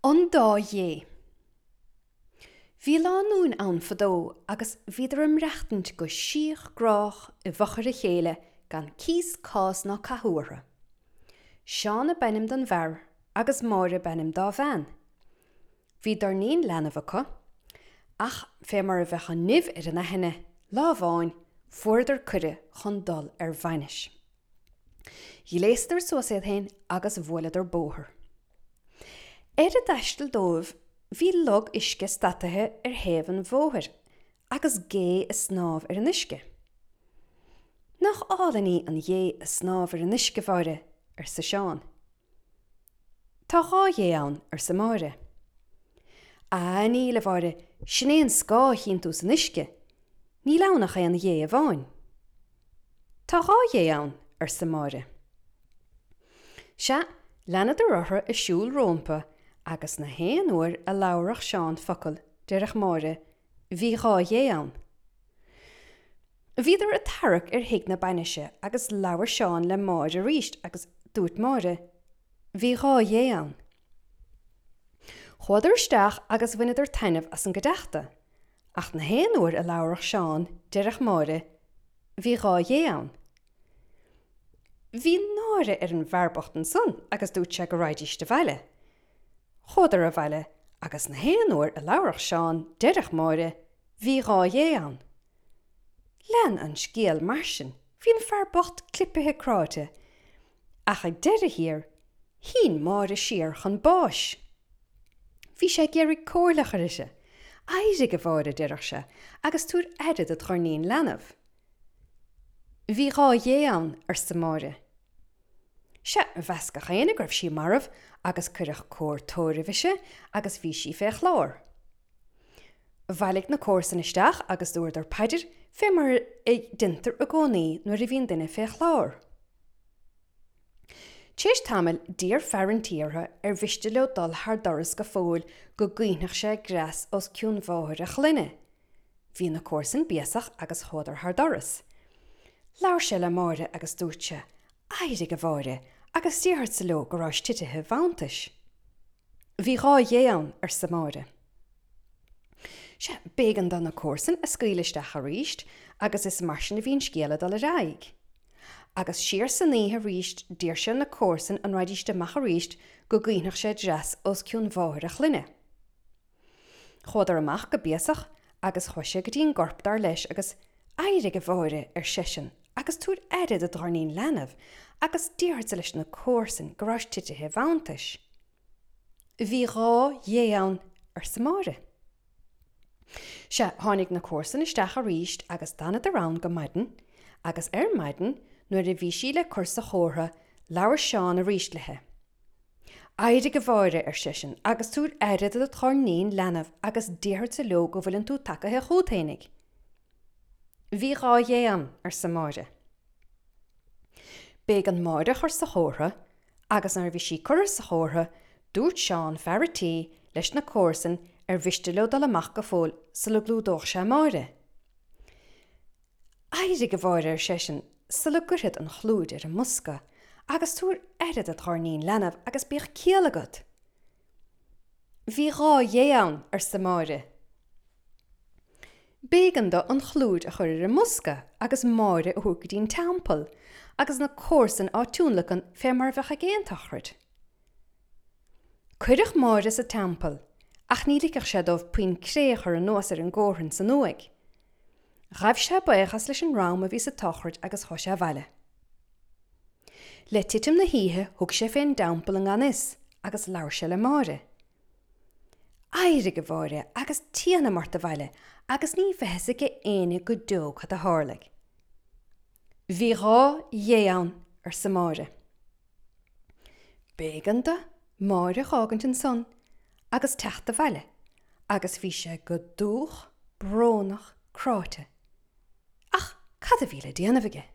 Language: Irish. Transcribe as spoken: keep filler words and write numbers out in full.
An Dá Ghé. Bhí lánúin ann fadó agus bhíodar ag maireachtaint go síoch grách i bhfochair a chéile gan cíos cás ná cathú orthu. Seán ab ainm don bhfear agus Máire ab ainm dá bhean. Bhí doirnín leanbh acu, ach fé mar a bheadh an nimh ar an aithne, lá amháin fuaireadar cuireadh chun dul ar bhainis. Ghléasadar suas iad féin agus bhuaileadar bóthar. Ar a dtaisteal dóibh bhí log uisce stataithe ar thaobh an bhóthair agus gé ag snámh ar an uisce. Nach álainn í an ghé ag snámh ar an uisce, a Mháire, arsa Seán. Tá dhá ghé ann, arsa Máire. Á, níl, a Mháire, sin é an scáth a chíonn tú san uisce. Níl ann ach aon ghé amháin. Tá dhá ghé ann, arsa Máire. Sea, leanadar orthu ag siúl rómpa agus na haon uair a labharfadh Seán focal, déarfadh Máire, Bhí dhá ghé ann. Bhíodar ag tarrac ar thigh na bainise agus labhair Seán le Máire arís agus dúirt Máire, Bhí dhá ghé ann. Chuadar isteach agus bhaineadar taitneamh as an gcuideachta, ach na haon uair a labharfadh Seán, déarfadh Máire, Bhí dhá ghé ann. Bhí náire ar an bhfear bocht ansan agus dúirt sé go raghaidíst abhaile. Chuadar abhaile agus na haon uair a labharfadh Seán, déarfadh Máire, Bhí dhá ghé ann. Lean an scéal mar sin, bhí an fear bocht clipithe cráite. Ach ag deireadh thiar, shín Máire siar chun báis. Bhí sé ag iarraidh comhairle a chur uirthi. Éirigh, a Mháire, a déarfadh sé, agus tabhair aire do dhoirnín leanbh. Bhí dhá ghé ann, arsa Máire. Sea, mheas gach éinne go raibh sí marbh agus cuireadh cóir tórraimh ise agus bhí sí fé chlár. Bhailigh na comharsain isteach agus dúradar paidir fé mar a deintear i gcónaí nuair a bhíonn duine fé chlár. Tar éis tamaill d'iarr fear an tí orthu ar mhiste leo dul thar doras go fóill go gcaoinfeadh sé greas os cionn mháthair a chlainne. Bhí na comharsain béasach agus chuadar thar doras. Labhair sé le Máire agus dúirt sé, Éirigh, a Mháire, agus déarfadsa leo go rabhais titithe i bhfanntais. Bhí dhá ghé ann, arsa Máire. Sea, b'éigean do na comharsain a scaoileadh isteach arís agus is mar sin a bhí an scéal ag dul ar aghaidh. Agus siar san oíche arís d'iarr sé ar na comharsain an raghaidíst amach arís go gcaoinfeadh sé dreas os cionn mháthair a chlainne. Chuadar amach go béasach agus chuaigh sé go dtí an gcorp dar leis agus Éirigh, a Mháire, ar seisean, agus tabhair aire do dhoirnín leanbh, agus déarfadsa leis na comharsain go rabhais titithe i bhfanntais. Bhí dhá ghé ann, arsa Máire. Sea, tháinig na comharsain isteach arís agus d'fhanadar ann go maidin, agus ar maidin, nuair a bhí sí le cur sa chófra, labhair Seán arís léi. Éirigh, a Mháire, ar seisean, agus tabhair aire do do dhoirnín leanbh agus déarfadsa leo go bhfuileann tú tagaithe chút fhéinig. Bhí dhá ghé ann, arsa Máire. B'éigean Máire a chur sa chófra agus nuair a bhí sí curtha sa chófra dúirt Seán, fear a' tí, leis na comharsain ar mhiste leo dul amach go fóill sula gclúdódh sé Máire. Éirigh, a Mháire, ar seisean, sula gcuirfead an chlúid ar an mbosca agus tabhair aire do dhoirnín leanbh agus bíodh ciall agat. Bhí dhá ghé ann, arsa Máire. B'éigean dó an chlúid a chur ar an mbosca agus Máire a thabhairt go dtí an teampall, agus na comharsain á tionlacan fé mar a bheadh ag aon tsochraid. Cuireadh Máire sa teampall, ach ní ligfeadh sé dóibh puinn cré a chur anuas ar an gcómhrainn san uaigh. Ghabh sé baochas leis an dream a bhí sa tsochraid agus chuaigh sé abhaile. Le titim na hoíche thug sé fén dteampall i ngan fhios agus labhair sé le Máire. Éirigh, a Mháire, agus tiocfaidh ort abhaile agus ní bheidh fhios ag éinne go deo cad a tharlaigh. Bhí dhá ghé ann, arsa Máire. B'éigean do Máire a dh'fhágaint ansan agus teacht abhaile agus bhí sé go dúch brónach cráite. Ach cad a bhí le déanamh aige?